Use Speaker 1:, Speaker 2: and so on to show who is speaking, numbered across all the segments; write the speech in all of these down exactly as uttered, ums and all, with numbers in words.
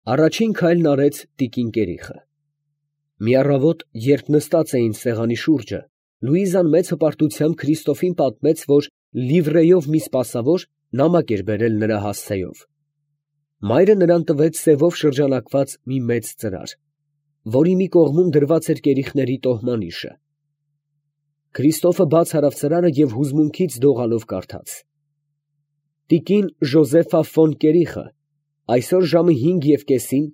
Speaker 1: Առաջին քայլն արեց տիկին Կերիխը։ Մի առավոտ, երբ նստած էին սեղանի շուրջը, Լուիզան մեծ հպարտությամբ Քրիստոֆին պատմեց, որ լիվրեյով մի սպասավոր նամակ էր բերել նրա հասցեով։ Մայրը նրան տվեց սևով շրջանակված մի մեծ ծրար, որի մի կողմում դրված էր կերիխների տոհմանիշը։ Քրիստոֆը բաց արավ ծրարը և հուզմունքից դողալով կարդաց. «Տիկին Ժոզեֆա ֆոն Կերիխը այսօր ժամը հինգ և կեսին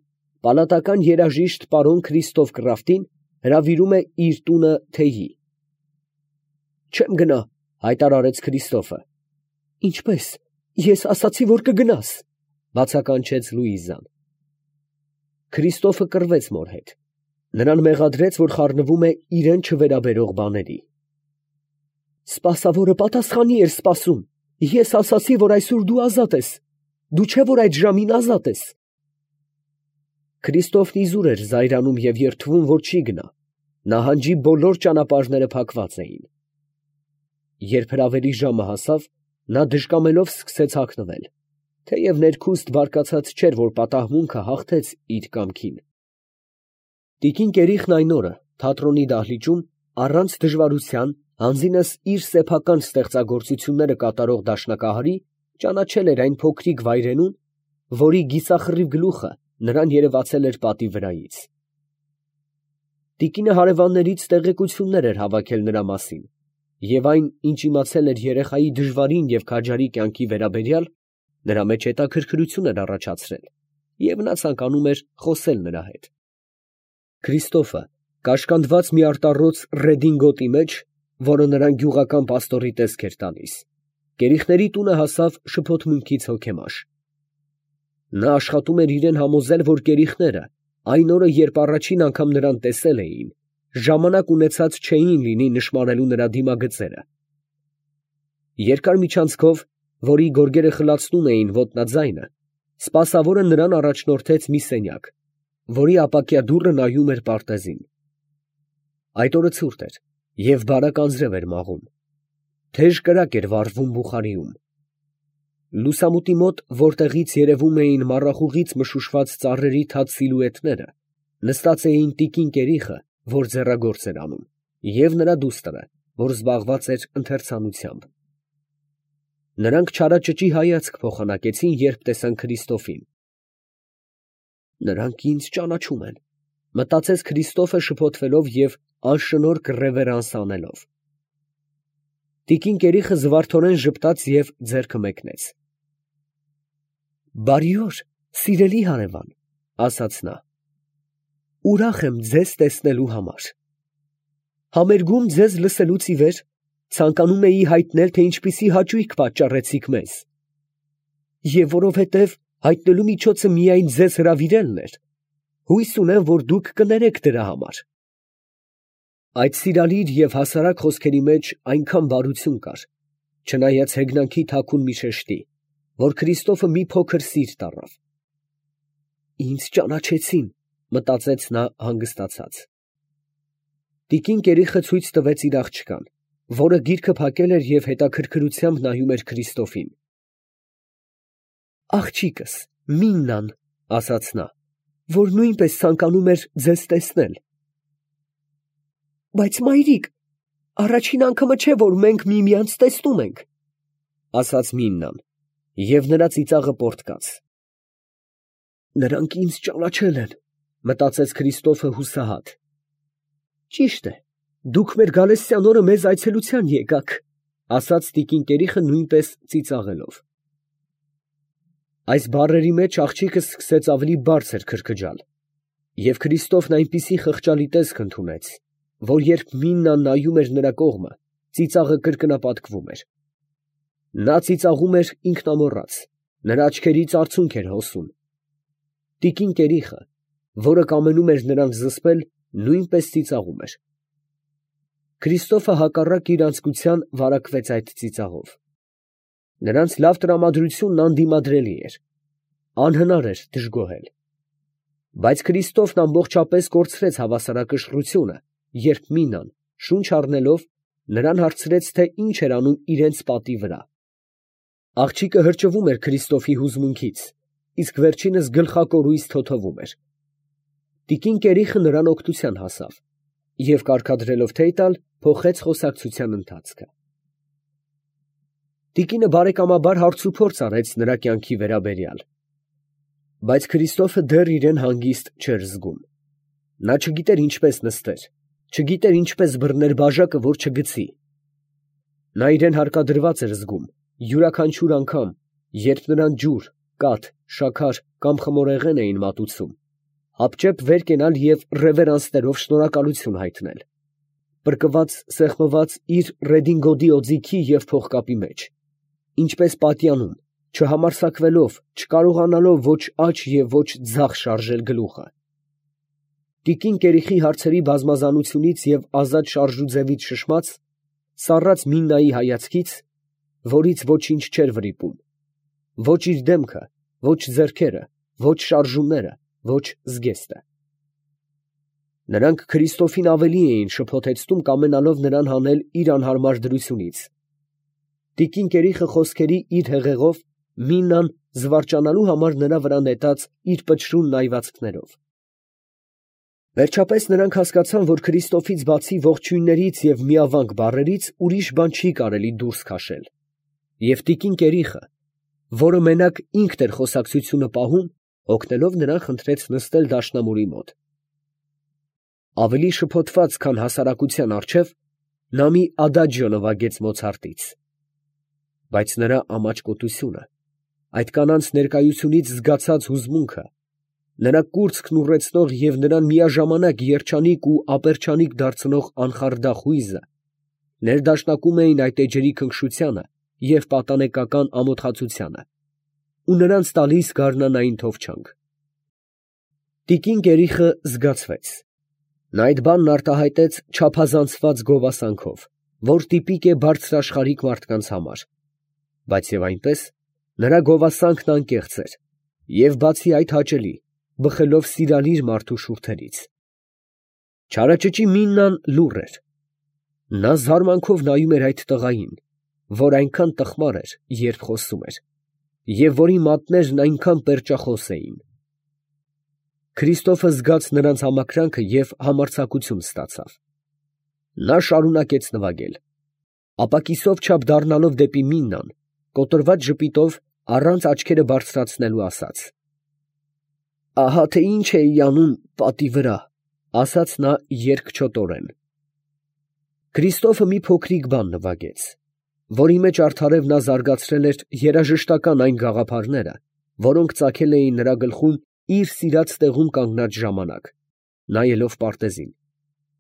Speaker 1: պալատական երաժիշտ պարոն Քրիստոֆ Կրաֆտին հրավիրում է իր տունը թեյի»։ «Չեմ գնա», ֊ հայտարարեց Քրիստոֆը։ «Ինչպե՞ս, ես ասացի, որ կգնաս», ֊ բացականչեց Լուիզան։ Քրիստոֆը կռվեց մոր հետ. նրան մեղադրեց, որ խառնվում է իրան չվերաբերող բաների։ «Սպասավորը պատասխանի էր սպասում, ես ասացի, որ այսօր դու ազատ ես, դու չէ՞ որ այդ ժամին ազատ ես»։ Քրիստոֆն իզուր էր զայրանում և երդվում, որ չի գնա, նահանջի բոլոր ճանապարհները փակված էին։ Երբ հրավերի ժամը հասավ, նա դժկամելով սկսեց հագնվել, թեև ներքուստ բարկացած չէր, որ պատահմունքը հաղթեց իր կամքին։ Տիկին Կերիխն այն օրը թատրոնի դահլիճում առանց դժվարության հանձինս իր սեփական ստեղծագործությունները կատարող դաշնակահարի ճանաչել էր այն փոքրիկ վայրենուն, որի գիսախռիվ գլուխը նրան երևացել էր պատի վրայից։ Տիկինը հարևաններից տեղեկություններ էր հավաքել նրա մասին, և այն, ինչ իմացել էր երեխայի դժվարին և քաջարի կյանքի վերաբերյալ, նրա մեջ հետաքրքրություն էր առաջացրել, և նա ցանկանում էր խոսել նրա հետ։ Քրիստոֆը, կաշկանդված մի արտառոց ռեդինգոտի մեջ, որը նրան գյուղական պաստորի տեսք էր տալիս, կերիխների տունը հասավ շփոթմունքից հոգեմաշ։ Նա աշխատում էր իրան համոզել, որ կերիխները այն օրը, երբ առաջին անգամ նրան տեսել էին, ժամանակ ունեցած չէին լինի նշմարելու նրա դիմագծերը։ Երկար միջանցքով, որի գորգերը խլացնում էին ոտնաձայնը, սպասավորը նրան առաջնորդեց մի սենյակ, որի ապակյա դուռը նայում էր պարտեզին։ Այդ օրը ցուրտ էր և բարակ անձրև էր մաղում։ Թեժ կրակ էր վառվում բուխարիում։ Լուսամուտի մոտ, որտեղից երևում էին մառախուղից մշուշված ծառերի թաց սիլուետները, նստած էին տիկին Կերիխը, որ ձեռագործ էր անում, և նրա դուստրը, որ զբաղված էր ընթերցանությամբ։ Նրանք չարաճճի հայացք փոխանակեցին, երբ տեսան Քրիստոֆին։ «Նրանք ինձ ճանաչում են», ֊ մտածեց Քրիստոֆը շփոթվելով և անշնորհք ռևերանս անելով։ Տիկին Կերիխը զվարթորեն ժպտաց և ձեռքը մեկնեց։ «Բարի օր, սիրելի հարևան, ֊ ասաց նա, ֊ ուրախ եմ ձեզ տեսնելու համար։ Համերգում ձեզ լսելուց ի վեր ցանկանում էի հայտնել, թե ինչպիսի հաճույք պատճառեցիք մեզ, և որովհետև հայտնելու միջոցը միայն ձեզ հրավիրելն էր, հույս ունեմ, որ դուք կներեք դրա համար»։ Այդ սիրալիր և հասարակ խոսքերի մեջ այնքան բարություն կար, չնայած հեգնանքի թաքուն մի շեշտի, որ Քրիստոֆը մի փոքր սիրտ առավ։ «Ինձ ճանաչեցին», ֊ մտածեց նա հանգստացած։ Տիկին Կերիխը ցույց տվեց իր աղջկան, որը գիրքը փակել էր և հետաքրքրությամբ նայում էր Քրիստոֆին։ «Աղջիկս, Միննան, ֊ ասաց նա, ֊ որ նույնպես ցանկանում էր ձեզ տեսնել»։ «Բայց մայրիկ, առաջին անգամը չէ, որ մենք միմյանց տեսնում ենք», ֊ ասաց Միննան, և նրա ծիծաղը պոռթկաց։ «Նրանք ինձ ճանաչել են», ֊ մտածեց Քրիստոֆը հուսահատ։ «Ճիշտ է, դուք մեր գալստյան օրը մեզ այցելության եկաք», ֊ ասաց տիկին Կերիխը նույնպես ծիծաղելով։ Այս բառերի մեջ աղջիկը սկսեց ավելի բարձր քրքջալ, և Քրիստոֆն այնպիսի խղճալի տեսք ընդունեց, որ երբ Միննան նայում էր նրա կողմը, ծիծաղը կրկնապատկվում էր։ Նա ծիծաղում էր ինքնամոռաց, նրա աչքերից արցունք էր հոսում։ Տիկին Կերիխը, որը կամենում էր նրան զսպել, նույնպես ծիծաղում էր։ Քրիստոֆը հակառակ իր անձկության վարակվեց այդ ծիծաղով։ Նրանց լավ տրամադրությունն անդիմադրելի էր, անհնար էր դժգոհել։ Բայց Քրիստոֆն ամբողջապես կորցրեց հավասարակշռությունը, երբ Միննան, շունչ առնելով, նրան հարցրեց, թե ինչ էր անում իրենց պատի վրա։ Աղջիկը հրճվում էր Քրիստոֆի հուզմունքից, իսկ վերջինս գլխակորույս թոթովում էր։ Տիկին Կերիխը նրան օգնության հասավ և կարգադրելով թեյ տալ, փոխեց խոսակցության ընթացքը։ Տիկինը բարեկամաբար հարցուփորձ արեց նրա կյանքի վերաբերյալ, բայց Քրիստոֆը դեռ իրեն հանգիստ չէր զգում։ Նա չգիտեր ինչպես նստեր, չգիտեր ինչպես բռներ բաժակը, որ չգցի։ Նա իրեն հարկադրված էր զգում յուրաքանչյուր անգամ, երբ նրան ջուր, կաթ, շաքար կամ խմորեղեն էին մատուցում, հապճեպ վեր կենալ և ռևերանսներով շնորհակալություն հայտնել, պրկված, սեղմված իր ռեդինգոդի օձիքի և փողկապի մեջ, ինչպես պատյանում, չհամարձակվելով, չկարողանալով ոչ աջ և ոչ ձախ շարժել գլուխը։ Տիկին Կերիխի հարցերի բազմազանությունից և ազատ շարժուձևից շշմած, սառած Միննայի հայացքից, որից ոչինչ չէր վրիպում, ոչ իր դեմքը, ոչ ձեռքերը, ոչ շարժումները, ոչ զգեստը։ Նրանք Քրիստոֆին ավելի էին շփոթեցնում, կամենալով նրան հանել իր անհարմար դրությունից։ Տիկին Կերիխը խոսքերի իր հեղեղով Միննան զվարճանալու համար նրա վրա նետած իր պչրուն նայվածքներով։ Վերջապես նրանք հասկացան, որ Քրիստոֆից բացի ողջույններից և միավանք բառերից ուրիշ բան չի կարելի դուրս քաշել, և տիկին Կերիխը, որը մենակ ինքն էր խոսակցությունը պահում, օգնելով նրան խնդրեց նստել դաշնամուրի մոտ։ Ավելի շփոթված, քան հասարակության առջև, նա մի ադաջիո նվագեց Մոցարտից, բայց նրա ամաչկոտությունը, այդ կանանց ներկայությունից զգացած հուզմունքը, նրա կուրծքն ուռեցնող և նրան միաժամանակ երջանիկ ու ապերչանիկ դարձնող անխարդախ հույզը ներդաշնակում էին այդ էջերի քնքշությանը և պատանեկական ամոթխածությանը ու նրանց տալիս գարնանային թովչանք։ Տիկին Կերիխը զգացվեց։ Նա այդ բանն արտահայտեց չափազանցված գովասանքով, որ տիպիկ է բարձրաշխարհիկ մարդկանց համար, բայց և այնպես նրա գովասանքն անկեղծ էր և բացի այդ հաճելի, բխելով սիրալիր մարդու շուրթերից։ Չարաճճի Միննան լուռ էր։ Նա զարմանքով նայում էր այդ տղային, որ այնքան տխմար էր, երբ խոսում էր, և որի մատներն այնքան պերճախոս էին։ Քրիստոֆը զգաց նրանց համակրանքը և համարձակություն ստացավ։ Նա շարունակեց նվագել, ապա կիսով չափ դառնալով դեպի Միննան, կոտրված ժպիտով, առանց աչքերը բարձրացնելու ասաց. «Ահա թե ինչ էի անում պատի վրա», ֊ ասաց նա երկչոտորեն։ Քրիստոֆը մի փոքրիկ բան նվագեց, որի մեջ արդարև նա զարգացրել էր երաժշտական այն գաղափարները, որոնք ծագել էին նրա գլխում իր սիրած տեղում կանգնած ժամանակ, նայելով պարտեզին,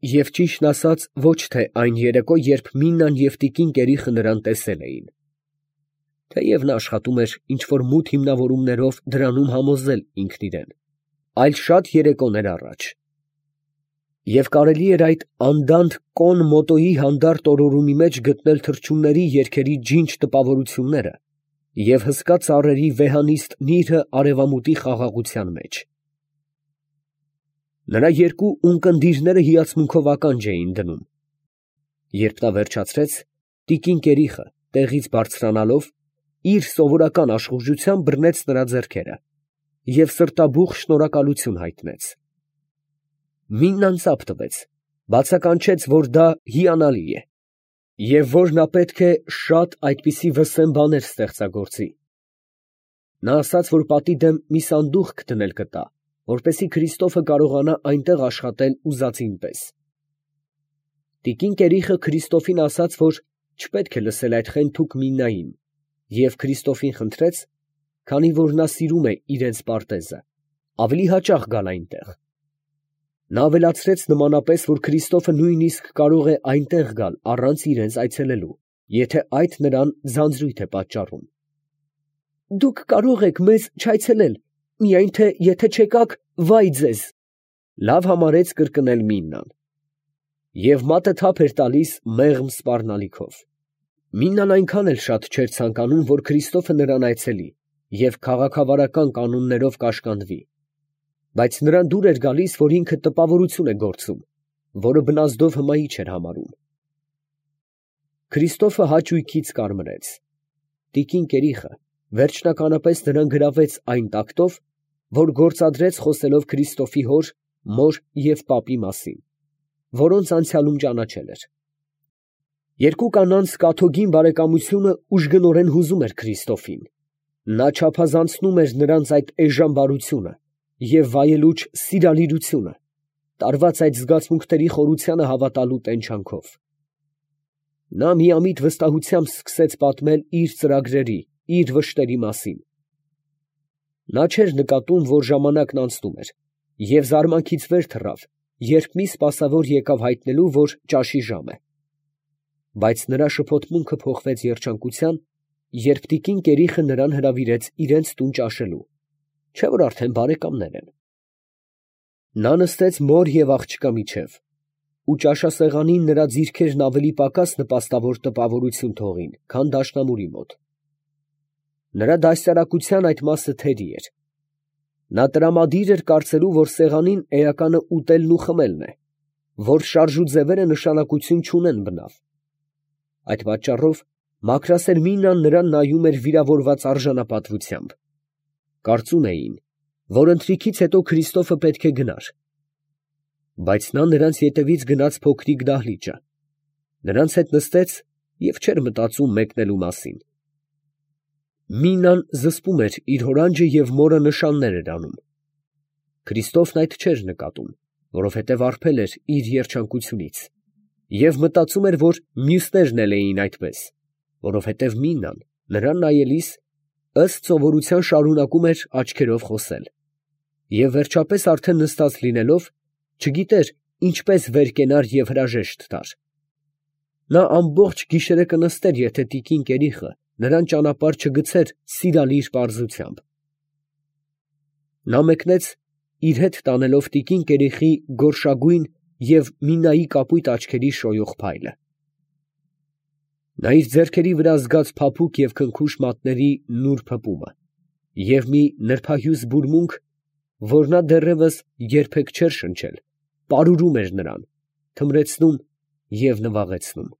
Speaker 1: և ճիշտն ասած ոչ թե այն երեկո, երբ Միննան և տիկին Կերիխը նրան տեսել էին, թեև նա աշխատում էր ինչ֊որ մութ հիմնավորումներով դրանում համոզել ինքն իրան, այլ շատ երեկոներ առաջ։ Եվ կարելի էր այդ անդանդ կոն մոտոյի հանդարտ օրորումի մեջ գտնել թռչունների երգերի ջինջ տպավորությունները և հսկա ծառերի վեհանիստ նիրհը արևամուտի խաղաղության մեջ։ Նրա երկու ունկնդիրները հիացմունքով ականջ էին դնում։ Երբ նա վերջացրեց, տիկին Կերիխը, տեղից բարձրանալով, իր սովորական աշխուժությամբ բռնեց նրա ձեռքերը և սրտաբուխ շնորհակալություն հայտնեց։ Միննան ծափ տվեց, բացականչեց, որ դա հիանալի է, և որ նա պետք է շատ այդպիսի վսեմ բաներ ստեղծագործի։ Նա ասաց, որ պատի դեմ մի սանդուղք դնել կտա, որպեսզի Քրիստոֆը կարողանա այնտեղ աշխատել ուզածին պես։ Տիկին Կերիխը Քրիստոֆին ասաց, որ չպետք է լսել այդ խենթուկ Միննային, և Քրիստոֆին խնդրեց, քանի որ նա սիրում է իրենց պարտեզը, ավելի հաճախ գալ այնտեղ։ Նա ավելացրեց նմանապես, որ Քրիստոֆը նույնիսկ կարող է այնտեղ գալ առանց իրենց այցելելու, եթե այդ նրան ձանձրույթ է պատճառում։ «Դուք կարող եք մեզ չայցելել, միայն թե եթե չեկաք, վայ ձեզ», ֊ լավ համարեց կրկնել Միննան։ Եվ մատը թափ էր տալիս մեղմ սպառնալիքով։ Միննան այնքան էլ շատ չէր ցանկանում, որ Քրիստոֆը նրան այցելի և քաղաքավարական կանոններով կաշկանդվի, բայց նրան դուր էր գալիս, որ ինքը տպավորություն է գործում, որը բնազդով հմայիչ էր համարում։ Քրիստոֆը հաճույքից կարմրեց։ Տիկին Կերիխը, վերջնականապես նրան գրավեց այն տակտով, որ գործադրեց խոսելով Քրիստոֆի հոր, մոր և պապի մասին, որոնց անցյալում ճանաչել էր։ Երկու կանանց կաթոկին բարեկամությունը ուժգնորեն հուզում էր Քրիստոֆին. նա չափազանցնում էր նրանց այդ էժան բարությունը և վայելուչ սիրալիրությունը, տարված այդ զգացմունքների խորությանը հավատալու տենչանքով։ Նա միամիտ վստահությամբ սկսեց պատմել իր ծրագրերի, իր վշտերի մասին։ Նա չէր նկատում, որ ժամանակն անցնում էր, և զարմանքից վեր թռավ, երբ մի սպասավոր եկավ հայտնելու, որ ճաշի ժամ է։ Բայց նրա շփոթմունքը փոխվեց երջանկության, երբ տիկին Կերիխը նրան հրավիրեց իրենց տուն ճաշելու, չէ՞ որ արդեն բարեկամներ են։ Նա նստեց մոր և աղջկա միջև, ու ճաշասեղանին նրա ձիրքերն ավելի պակաս նպաստավոր տպավորություն թողին, քան դաշնամուրի մոտ։ Նրա դաստիարակության այդ մասը թերի էր։ Նա տրամադիր էր կարծելու, որ սեղանին էականը ուտելն ու խմելն է, որ շարժ ու ձևերը նշանակություն չունեն բնավ։ Այդ պատճառով մաքրասեր Մինան նրան նայում էր վիրավորված արժանապատվությամբ։ Կարծում էին, որ ընթրիքից հետո Քրիստոֆը պետք է գնար։ Բայց նա նրանց ետևից գնաց փոքրիկ դահլիճը, նրանց հետ նստեց և չէր մտածում մեկնելու մասին։ Մինան զսպում էր իր հորանջը և մորը նշաններ էր անում։ Քրիստոֆն այդ չէր նկատում, որովհետև արբել էր իր երջանկությունից, և մտածում էր, որ մյուսներն էլ էին այդպես, որովհետև Մինան նրան նայելիս, ըստ սովորության շարունակում էր աչքերով խոսել, և վերջապես արդեն նստած լինելով, չգիտեր ինչպես վեր կենար և հրաժեշտ տար։ Նա ամբողջ գիշերը կնստեր, եթե տիկին Կերիխը նրան ճանապարհ չգցեր սիրալիր պարզությամբ։ Նա մեկնեց, իր հետ տանելով տիկին Կերիխի գորշագույն և Մինայի կապույտ աչքերի շոյող փայլը։ Նա իր ձեռքերի վրա զգաց փափուկ և քնքուշ մատների նուրբ հպումը և մի նրբահյուս բուրմունք, որ նա դեռևս երբեք չէր շնչել, պարուրում էր նրան, թմրեցնում և նվաղեցնում։